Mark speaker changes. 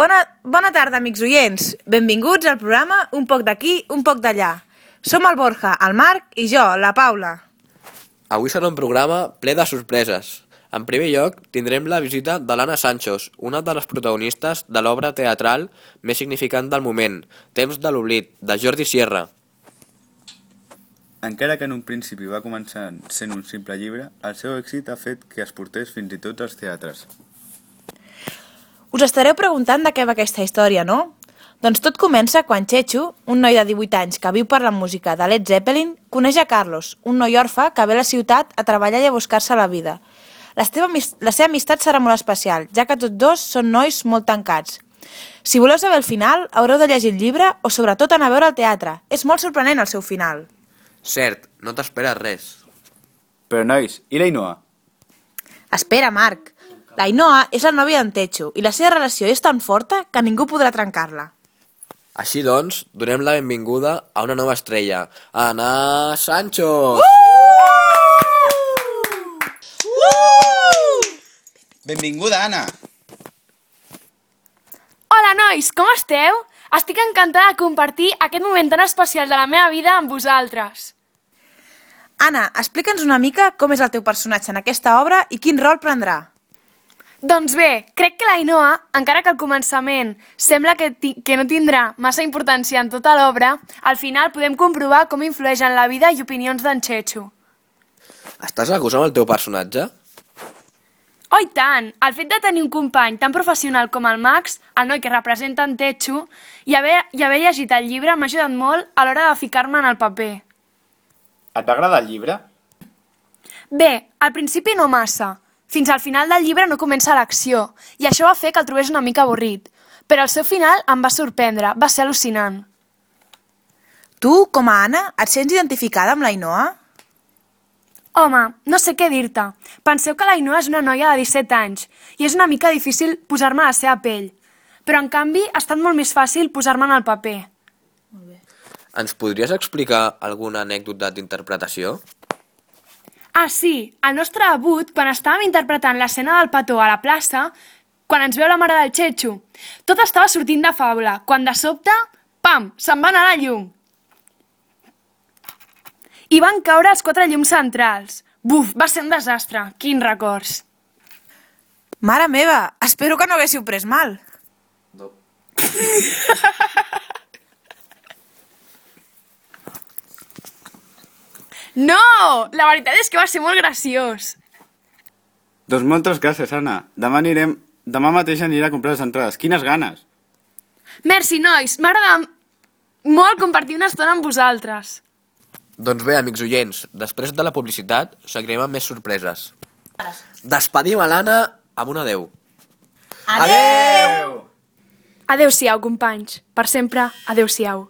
Speaker 1: Bona tarda, amics oients. Benvinguts al programa Un poc d'aquí, un poc d'allà. Som el Borja, el Marc i jo, la Paula.
Speaker 2: Avui serà un programa ple de sorpreses. En primer lloc, tindrem la visita de l'Anna Sanchos, una de les protagonistes de l'obra teatral més significant del moment, Temps de l'oblit, de Jordi Sierra.
Speaker 3: Encara que en un principi va començar sent un simple llibre, el seu èxit ha fet que es portés fins i tot als teatres.
Speaker 1: Us estareu preguntant de què va aquesta història, no? Doncs tot comença quan Chechu, un noi de 18 anys que viu per la música de Led Zeppelin, coneix a Carlos, un noi orfe que ve a la ciutat a treballar i a buscar-se la vida. La seva amistat serà molt especial, ja que tots dos són nois molt tancats. Si voleu saber el final, haureu de llegir el llibre o sobretot anar a veure el teatre. És molt sorprenent el seu final.
Speaker 2: Cert, no t'esperes res.
Speaker 3: Però nois, i l'Ainoa?
Speaker 1: Espera, Marc. L'Ainoa és la nòvia d'en Chechu i la seva relació és tan forta que ningú podrà trencar-la.
Speaker 2: Així doncs, donem la benvinguda a una nova estrella, Anna Sanchos!
Speaker 3: Benvinguda, Anna!
Speaker 4: Hola, nois, com esteu? Estic encantada de compartir aquest moment tan especial de la meva vida amb vosaltres.
Speaker 1: Anna, explica'ns una mica com és el teu personatge en aquesta obra i quin rol prendrà.
Speaker 4: Doncs bé, crec que l'Ainoa, encara que al començament sembla que no tindrà massa importància en tota l'obra, al final podem comprovar com influeix en la vida i opinions d'en Chechu.
Speaker 2: Estàs a gust amb el teu personatge?
Speaker 4: Oh, i tant! El fet de tenir un company tan professional com el Max, el noi que representa en Chechu, i haver llegit el llibre m'ha ajudat molt a l'hora de ficar-me en el paper.
Speaker 3: Et va agradar el llibre?
Speaker 4: Bé, al principi no massa. Fins al final del llibre no comença l'acció, i això va fer que el trobés una mica avorrit. Però al seu final em va sorprendre, va ser al·lucinant.
Speaker 1: Tu, com a Anna, et sents identificada amb l'Ainoa?
Speaker 4: Home, no sé què dir-te. Penseu que l'Ainoa és una noia de 17 anys, i és una mica difícil posar-me a la seva pell. Però, en canvi, ha estat molt més fàcil posar-me en el paper.
Speaker 2: Ens podries explicar alguna anècdota d'interpretació?
Speaker 4: Ah, sí, al nostre debut, quan estàvem interpretant l'escena del petó a la plaça, quan ens veu la mare del Chechu, tot estava sortint de faula, quan de sobte, pam, se'n va anar la llum. I van caure els 4 llums centrals. Buf, va ser un desastre, quins records.
Speaker 1: Mare meva, espero que no haguéssiu pres mal.
Speaker 2: No.
Speaker 4: No! La veritat és que va ser molt graciós.
Speaker 3: Doncs moltes gràcies, Anna. Demà mateix aniré a comprar les entrades. Quines ganes!
Speaker 4: Merci, nois. M'agrada molt compartir una estona amb vosaltres.
Speaker 2: Doncs bé, amics oients, després de la publicitat seguirem amb més sorpreses. Despedim a l'Anna amb un adeu.
Speaker 3: Adeu!
Speaker 4: Adeu-siau, companys. Per sempre, adeu-siau.